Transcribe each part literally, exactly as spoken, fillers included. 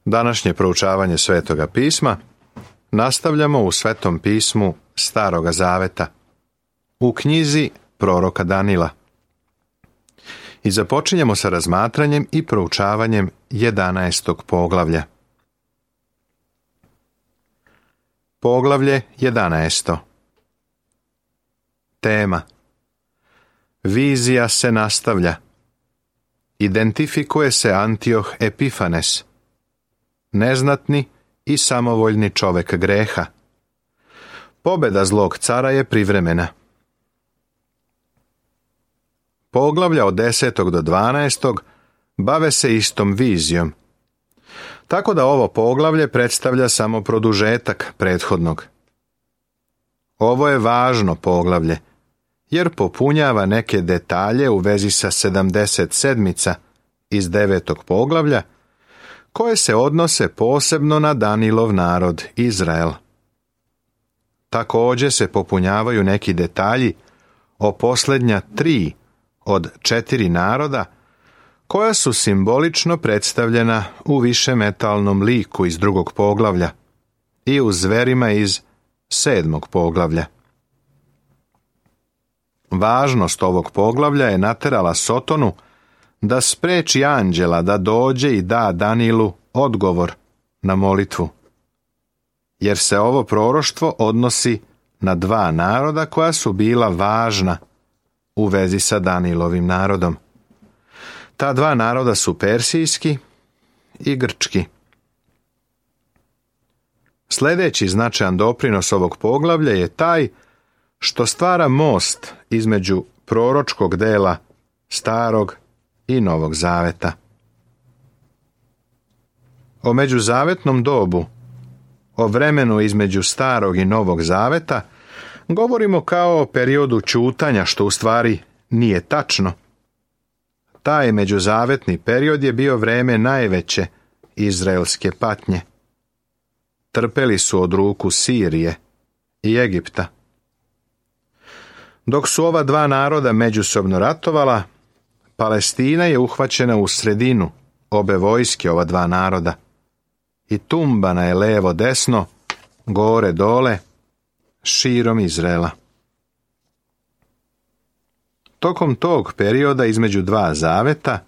Današnje proučavanje Svetoga pisma nastavljamo u Svetom pismu Staroga zaveta, u knjizi proroka Danila. I započinjemo sa razmatranjem i proučavanjem jedanaestog poglavlja. Poglavlje jedanaesto. Tema: Vizija se nastavlja. Identifikuje se Antioh Epifanes, neznatni i samovoljni čovek greha. Pobeda zlog cara je privremena. Poglavlja od desetog do dvanaestog bave se istom vizijom, tako da ovo poglavlje predstavlja samo produžetak prethodnog. Ovo je važno poglavlje, jer popunjava neke detalje u vezi sa sedamdeset sedmica iz devetog poglavlja, koje se odnose posebno na Danilov narod Izrael. Također se popunjavaju neki detalji o posljednja tri od četiri naroda, koja su simbolično predstavljena u višemetalnom liku iz drugog poglavlja i u zverima iz sedmog poglavlja. Važnost ovog poglavlja je naterala Sotonu da spreči anđela da dođe i da Danilu odgovor na molitvu, jer se ovo proroštvo odnosi na dva naroda koja su bila važna u vezi sa Danilovim narodom. Ta dva naroda su persijski i grčki. Sljedeći značajan doprinos ovog poglavlja je taj što stvara most između proročkog dela Starog i Novog zaveta. O međuzavetnom dobu, o vremenu između Starog i Novog zaveta, govorimo kao o periodu ćutanja, što u stvari nije tačno. Taj međuzavetni period je bio vreme najveće izraelske patnje. Trpeli su od ruku Sirije i Egipta. Dok su ova dva naroda međusobno ratovala, Palestina je uhvaćena u sredinu obe vojske ova dva naroda i tumbana je levo desno, gore dole, širom Izraela. Tokom tog perioda između dva zaveta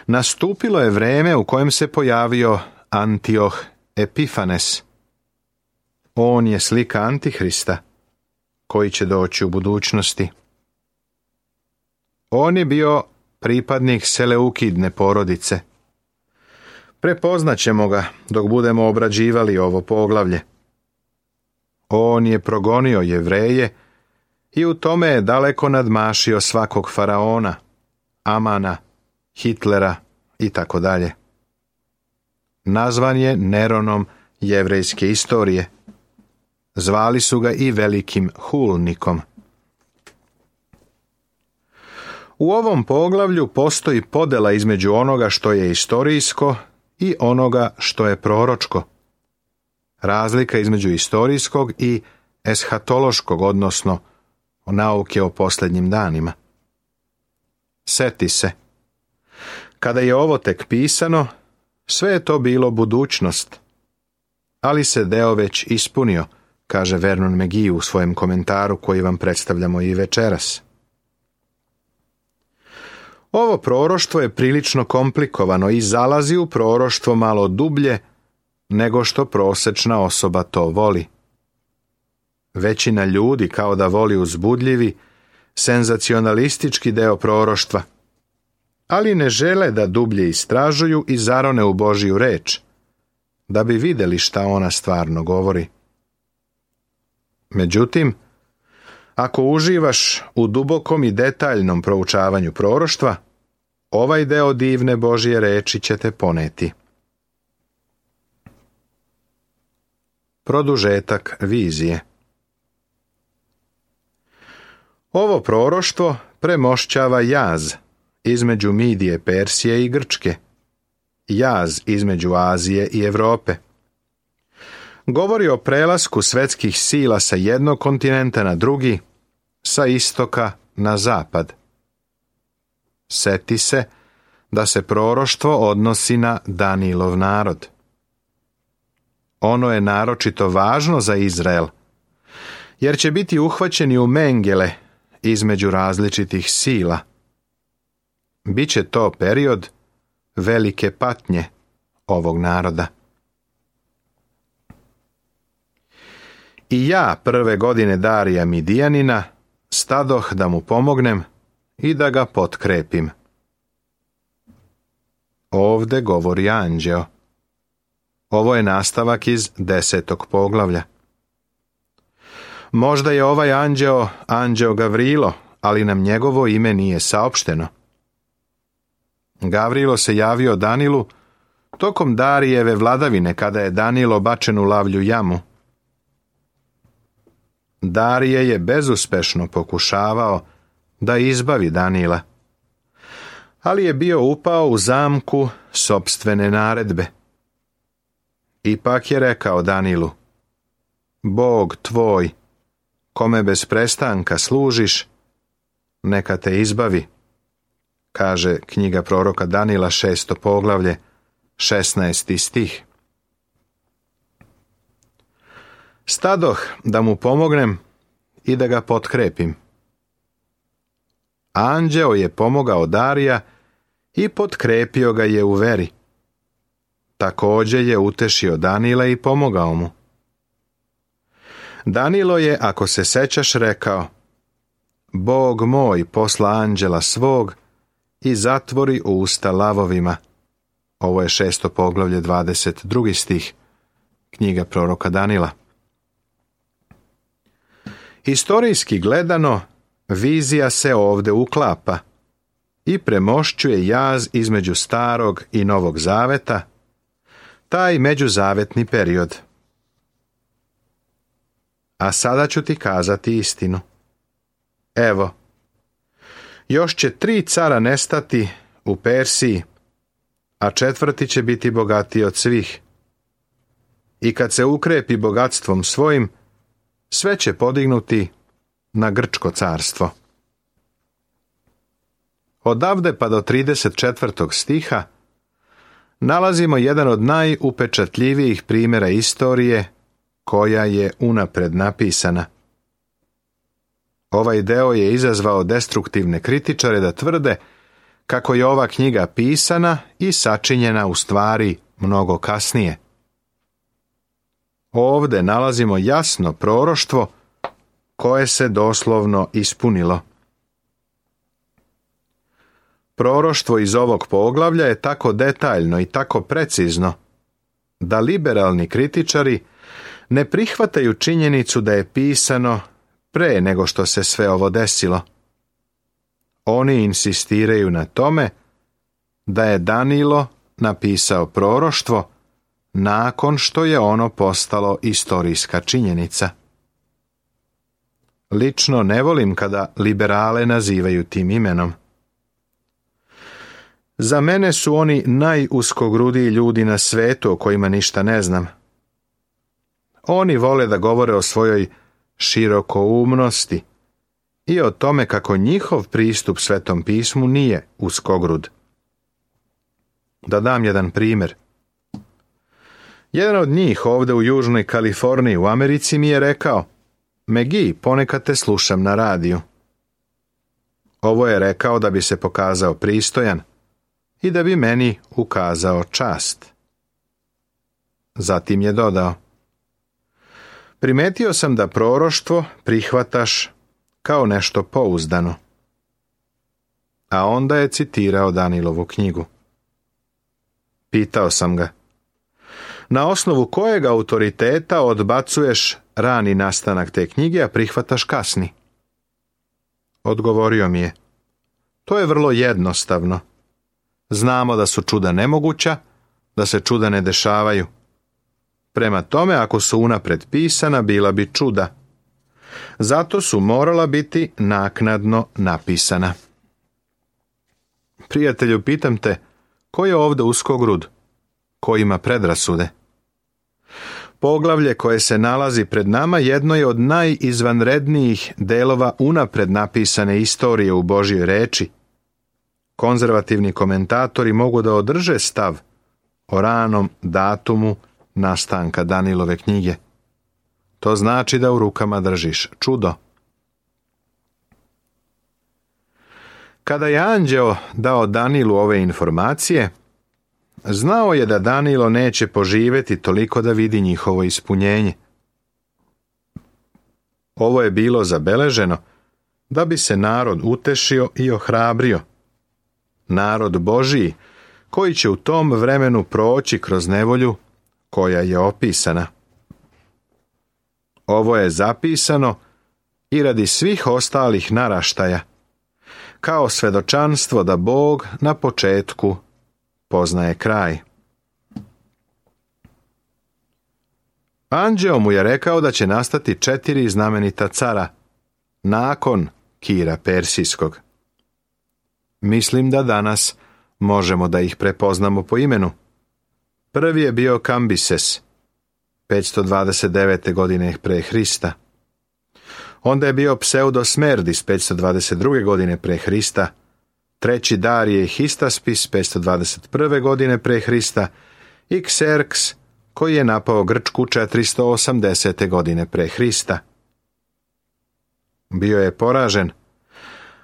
nastupilo je vreme u kojem se pojavio Antioh Epifanes. On je slika Antihrista, koji će doći u budućnosti. On je bio pripadnik Seleukidne porodice. Prepoznaćemo ga dok budemo obrađivali ovo poglavlje. On je progonio Jevreje i u tome je daleko nadmašio svakog faraona, Amana, Hitlera i tako dalje. Nazvan je Neronom jevrejske istorije. Zvali su ga i velikim hulnikom. U ovom poglavlju postoji podela između onoga što je istorijsko i onoga što je proročko. Razlika između istorijskog i eshatološkog, odnosno nauke o posljednjim danima. Seti se. Kada je ovo tek pisano, sve je to bilo budućnost, ali se deo već ispunio, kaže Vernon McGee u svojem komentaru koji vam predstavljamo i večeras. Ovo proroštvo je prilično komplikovano i zalazi u proroštvo malo dublje nego što prosečna osoba to voli. Većina ljudi kao da voli uzbudljivi, senzacionalistički deo proroštva, ali ne žele da dublje istražuju i zarone u Božju reč, da bi vidjeli šta ona stvarno govori. Međutim, ako uživaš u dubokom i detaljnom proučavanju proroštva, ovaj deo divne Božje reči će te poneti. Produžetak vizije. Ovo proroštvo premošćava jaz između Midije, Persije i Grčke, jaz između Azije i Europe. Govori o prelasku svetskih sila sa jednog kontinenta na drugi, sa istoka na zapad. Seti se da se proroštvo odnosi na Danilov narod, Ono je naročito važno za Izrael, jer će biti uhvaćeni u mengele između različitih sila. Biće to period velike patnje ovog naroda. I ja prve godine Darija Midijanina stadoh da mu pomognem i da ga potkrepim. Ovde govori anđeo. Ovo je nastavak iz desetog poglavlja. Možda je ovaj anđeo anđeo Gavrilo, ali nam njegovo ime nije saopšteno. Gavrilo se javio Danilu tokom Darijeve vladavine, kada je Danilo bačen u lavlju jamu. Darije je bezuspešno pokušavao da izbavi Danila, ali je bio upao u zamku sopstvene naredbe. Ipak je rekao Danilu: Bog tvoj, kome bez prestanka služiš, neka te izbavi, kaže knjiga proroka Danila, šesto poglavlje, šesnaesti stih. Stadoh da mu pomognem i da ga potkrepim. Anđeo je pomogao Darija i potkrepio ga je u veri. Također je utešio Danila i pomogao mu. Danilo je, ako se sećaš, rekao: Bog moj posla anđela svog i zatvori usta lavovima. Ovo je šesto poglavlje, dvadeset drugi stih, knjiga proroka Danila. Historijski gledano, vizija se ovde uklapa i premošćuje jaz između starog i novog zaveta, taj međuzavetni period. A sada ću ti kazati istinu. Evo, još će tri cara nestati u Persiji, a četvrti će biti bogatiji od svih. I kad se ukrepi bogatstvom svojim, sve će podignuti na Grčko carstvo. Odavde pa do trideset četvrtog stiha nalazimo jedan od najupečatljivijih primjera istorije koja je unapred napisana. Ovaj deo je izazvao destruktivne kritičare da tvrde kako je ova knjiga pisana i sačinjena u stvari mnogo kasnije. Ovde nalazimo jasno proroštvo koje se doslovno ispunilo. Proroštvo iz ovog poglavlja je tako detaljno i tako precizno da liberalni kritičari ne prihvataju činjenicu da je pisano pre nego što se sve ovo desilo. Oni insistiraju na tome da je Danilo napisao proroštvo nakon što je ono postalo istorijska činjenica. Lično ne volim kada liberale nazivaju tim imenom. Za mene su oni najuskogrudiji ljudi na svetu o kojima ništa ne znam. Oni vole da govore o svojoj širokoumnosti i o tome kako njihov pristup Svetom pismu nije uskogrud. Da dam jedan primjer. Jedan od njih ovdje u Južnoj Kaliforniji u Americi mi je rekao: Megi, ponekad te slušam na radiju. Ovo je rekao da bi se pokazao pristojan i da bi meni ukazao čast. Zatim je dodao: Primetio sam da proroštvo prihvataš kao nešto pouzdano. A onda je citirao Danilovu knjigu. Pitao sam ga: Na osnovu kojeg autoriteta odbacuješ rani nastanak te knjige, a prihvataš kasni? Odgovorio mi je: To je vrlo jednostavno. Znamo da su čuda nemoguća, da se čuda ne dešavaju. Prema tome, ako su unapred pisana, bila bi čuda. Zato su morala biti naknadno napisana. Prijatelju, pitam te, ko je ovdje uskogrud? Ko ima predrasude? Poglavlje koje se nalazi pred nama jedno je od najizvanrednijih delova unapred napisane istorije u Božjoj reči. Konzervativni komentatori mogu da održe stav o ranom datumu nastanka Danilove knjige. To znači da u rukama držiš čudo. Kada je anđeo dao Danilu ove informacije, znao je da Danilo neće poživjeti toliko da vidi njihovo ispunjenje. Ovo je bilo zabeleženo da bi se narod utešio i ohrabrio. Narod Božiji koji će u tom vremenu proći kroz nevolju koja je opisana. Ovo je zapisano i radi svih ostalih naraštaja, kao svedočanstvo da Bog na početku poznaje kraj. Anđeo mu je rekao da će nastati četiri znamenita cara nakon Kira Persijskog. Mislim da danas možemo da ih prepoznamo po imenu. Prvi je bio Kambises, petsto dvadeset devete. godine pre Hrista. Onda je bio Pseudosmerdis, petsto dvadeset druge. godine pre Hrista. Treći Darije Histaspis, petsto dvadeset prve. godine pre Hrista. I Kserks, koji je napao Grčku četiristo osamdesete. godine pre Hrista. Bio je poražen,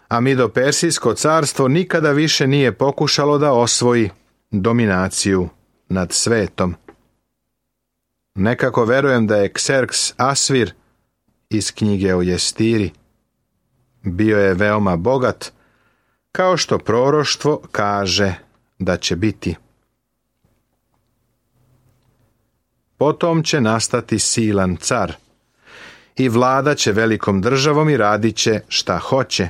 a Mido-Persijsko carstvo nikada više nije pokušalo da osvoji dominaciju nad svetom. Nekako verujem da je Kserks Asvir iz knjige o Jestiri. Bio je veoma bogat, kao što proroštvo kaže da će biti. Potom će nastati silan car i vladat će velikom državom i radit će šta hoće.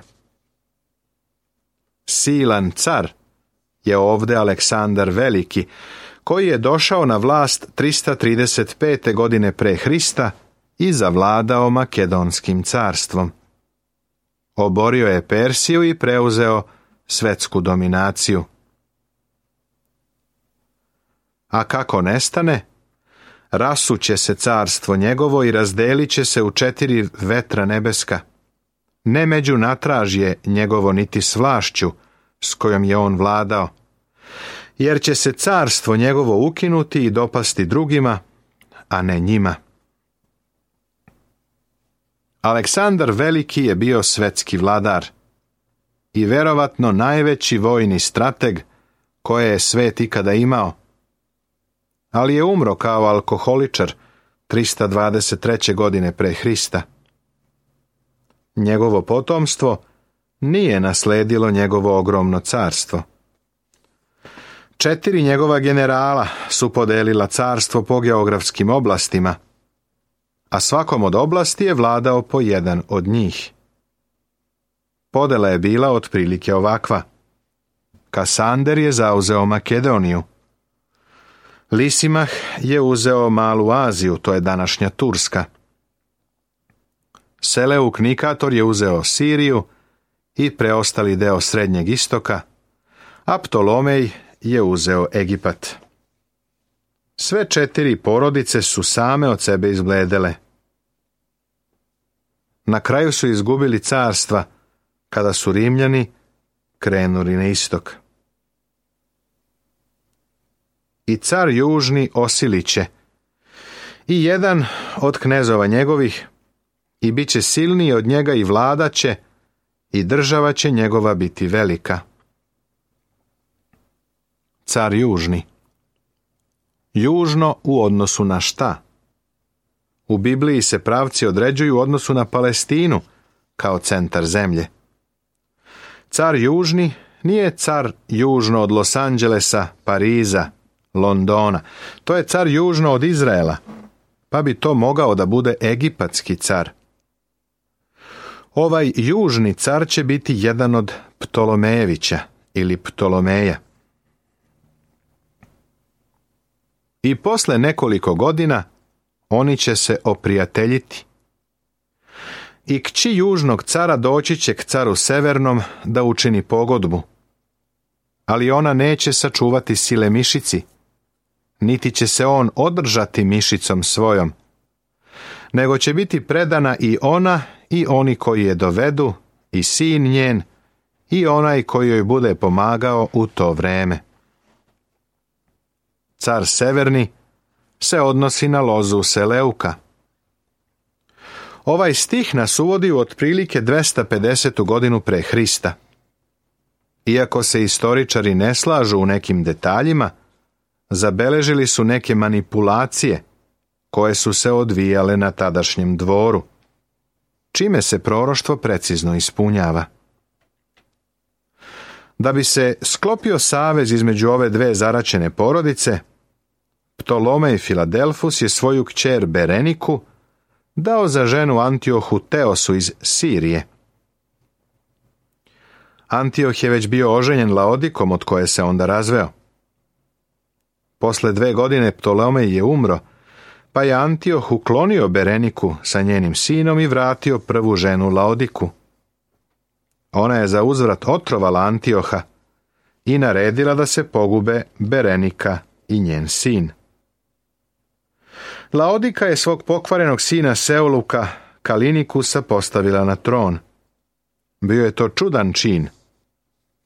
Silan car je ovdje Aleksandar Veliki, koji je došao na vlast trista trideset pete. godine pre Hrista i zavladao Makedonskim carstvom. Oborio je Persiju i preuzeo svetsku dominaciju. A kako nestane? Rasuće se carstvo njegovo i razdelit će se u četiri vetra nebeska. Ne među natražje njegovo niti s vlašću s kojom je on vladao, jer će se carstvo njegovo ukinuti i dopasti drugima, a ne njima. Aleksandar Veliki je bio svetski vladar i verovatno najveći vojni strateg koje je svet ikada imao, ali je umro kao alkoholičar trista dvadeset treće. godine pre Hrista. Njegovo potomstvo nije nasledilo njegovo ogromno carstvo. Četiri njegova generala su podelila carstvo po geografskim oblastima, a svakom od oblasti je vladao po jedan od njih. Podela je bila otprilike ovakva. Kasander je zauzeo Makedoniju. Lisimah je uzeo Malu Aziju, to je današnja Turska. Seleuk Nikator je uzeo Siriju i preostali deo Srednjeg istoka, a Ptolomej je uzeo Egipat. Sve četiri porodice su same od sebe izbledele. Na kraju su izgubili carstva kada su Rimljani krenuli na istok. I car južni osiliće, i jedan od knezova njegovih, i bit će silniji od njega i vladaće, i država će njegova biti velika. Car južni. Južno u odnosu na šta? U Bibliji se pravci određuju u odnosu na Palestinu kao centar zemlje. Car južni nije car južno od Los Angelesa, Pariza, Londona. To je car južno od Izraela, pa bi to mogao da bude egipatski car. Ovaj južni car će biti jedan od Ptolomejevića ili Ptolomeja. I posle nekoliko godina oni će se oprijateljiti. I kći južnog cara doći će k caru severnom da učini pogodbu. Ali ona neće sačuvati sile mišici, niti će se on održati mišicom svojom, nego će biti predana i ona i oni koji je dovedu, i sin njen, i onaj koji joj bude pomagao u to vreme. Car severni se odnosi na lozu Seleuka. Ovaj stih nas uvodi u otprilike dvesta pedesetu godinu pre Hrista. Iako se istoričari ne slažu u nekim detaljima, zabeležili su neke manipulacije koje su se odvijale na tadašnjem dvoru, čime se proroštvo precizno ispunjava. Da bi se sklopio savez između ove dve zaraćene porodice, Ptolomej Filadelfus je svoju kćer Bereniku dao za ženu Antiohu Teosu iz Sirije. Antioh je već bio oženjen Laodikom, od koje se onda razveo. Posle dve godine Ptolomej je umro, pa je Antioh uklonio Bereniku sa njenim sinom i vratio prvu ženu Laodiku. Ona je za uzvrat otrovala Antioha i naredila da se pogube Berenika i njen sin. Laodika je svog pokvarenog sina Seuluka, Kalinikusa, postavila na tron. Bio je to čudan čin,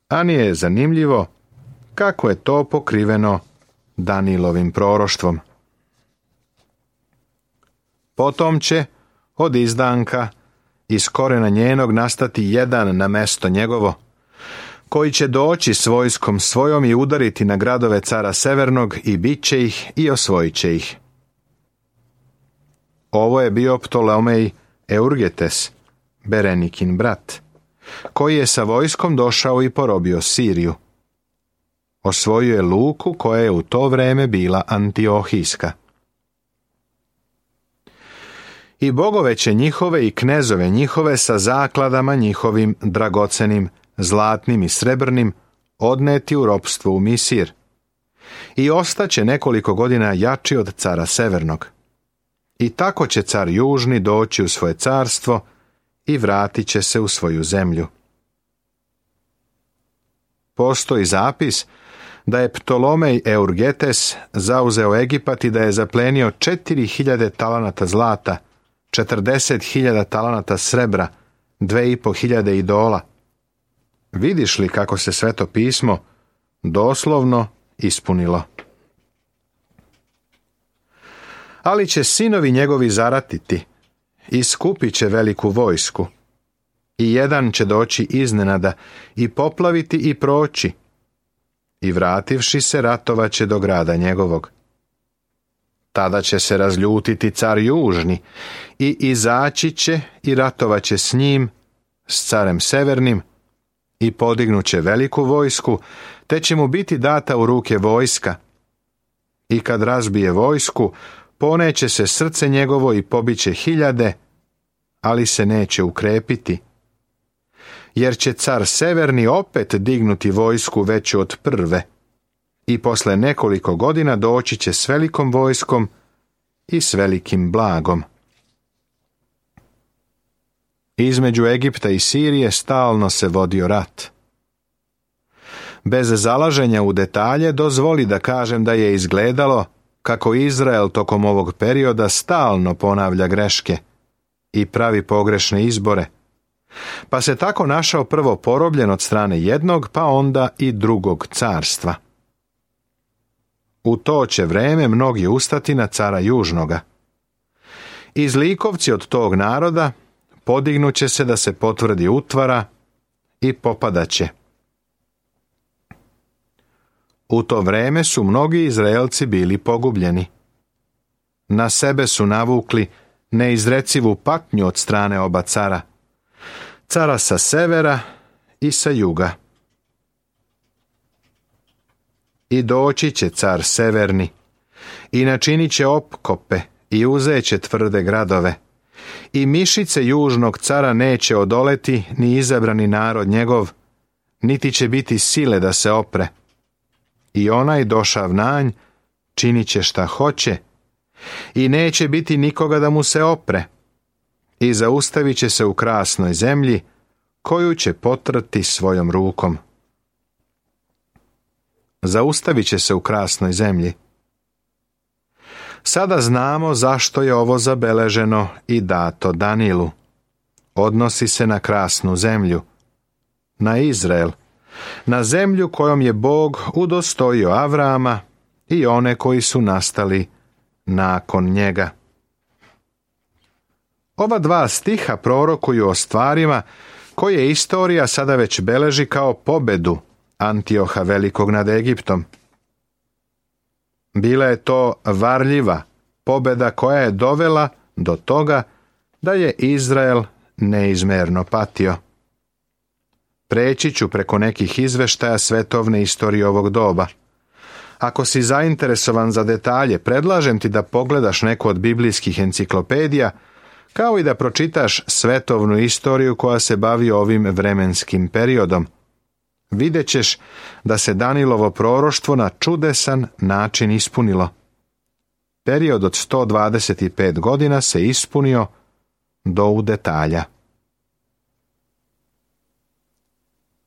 a nije je zanimljivo kako je to pokriveno Danilovim proroštvom. Potom će od izdanka iz korena njenog nastati jedan na mesto njegovo, koji će doći s vojskom svojom i udariti na gradove cara Severnog i bit će ih i osvojit će ih. Ovo je bio Ptolomej Eurgetes, Berenikin brat, koji je sa vojskom došao i porobio Siriju. Osvojio je luku koja je u to vreme bila Antiohijska. I bogove će njihove i knezove njihove sa zakladama njihovim dragocenim, zlatnim i srebrnim odneti u ropstvo u Misir. I ostaće nekoliko godina jači od cara Severnog. I tako će car Južni doći u svoje carstvo i vratit će se u svoju zemlju. Postoji zapis da je Ptolomej Eurgetes zauzeo Egipat i da je zaplenio četiri hiljade talanata zlata, četrdeset hiljada talanata srebra, dve i po hiljade idola. Vidiš li kako se Sveto pismo doslovno ispunilo? Ali će sinovi njegovi zaratiti i skupit će veliku vojsku. I jedan će doći iznenada i poplaviti i proći. I vrativši se ratovaće do grada njegovog. Tada će se razljutiti car Južni i izaći će i ratovaće s njim, s carem Severnim, i podignuće veliku vojsku, te će mu biti data u ruke vojska. I kad razbije vojsku, poneće se srce njegovo i pobiće hiljade, ali se neće ukrepiti. Jer će car Severni opet dignuti vojsku veću od prve i posle nekoliko godina doći će s velikom vojskom i s velikim blagom. Između Egipta i Sirije stalno se vodio rat. Bez zalaženja u detalje dozvoli da kažem da je izgledalo kako Izrael tokom ovog perioda stalno ponavlja greške i pravi pogrešne izbore, pa se tako našao prvo porobljen od strane jednog, pa onda i drugog carstva. U to će vreme mnogi ustati na cara Južnoga. I zlikovci od tog naroda podignuće se da se potvrdi utvara i popadaće. U to vreme su mnogi Izraelci bili pogubljeni. Na sebe su navukli neizrecivu patnju od strane oba cara, cara sa severa i sa juga. I doći će car Severni, i načinit će opkope, i uzeće tvrde gradove, i mišice južnog cara neće odoleti ni izabrani narod njegov, niti će biti sile da se opre. I onaj došav nanj činit će šta hoće, i neće biti nikoga da mu se opre, i zaustavit će se u krasnoj zemlji, koju će potrti svojom rukom. Zaustavit će se u krasnoj zemlji. Sada znamo zašto je ovo zabeleženo i dato Danilu. Odnosi se na krasnu zemlju, na Izrael, na zemlju kojom je Bog udostojio Avrama i one koji su nastali nakon njega. Ova dva stiha prorokuju o stvarima koje istorija sada već beleži kao pobedu Antioha Velikog nad Egiptom. Bila je to varljiva pobeda koja je dovela do toga da je Izrael neizmerno patio. Preći ću preko nekih izveštaja svetovne istorije ovog doba. Ako si zainteresovan za detalje, predlažem ti da pogledaš neku od biblijskih enciklopedija, kao i da pročitaš svetovnu istoriju koja se bavi ovim vremenskim periodom. Vidjet ćeš da se Danilovo proroštvo na čudesan način ispunilo. Period od sto dvadeset pet godina se ispunio do u detalja.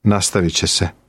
Nastavit će se.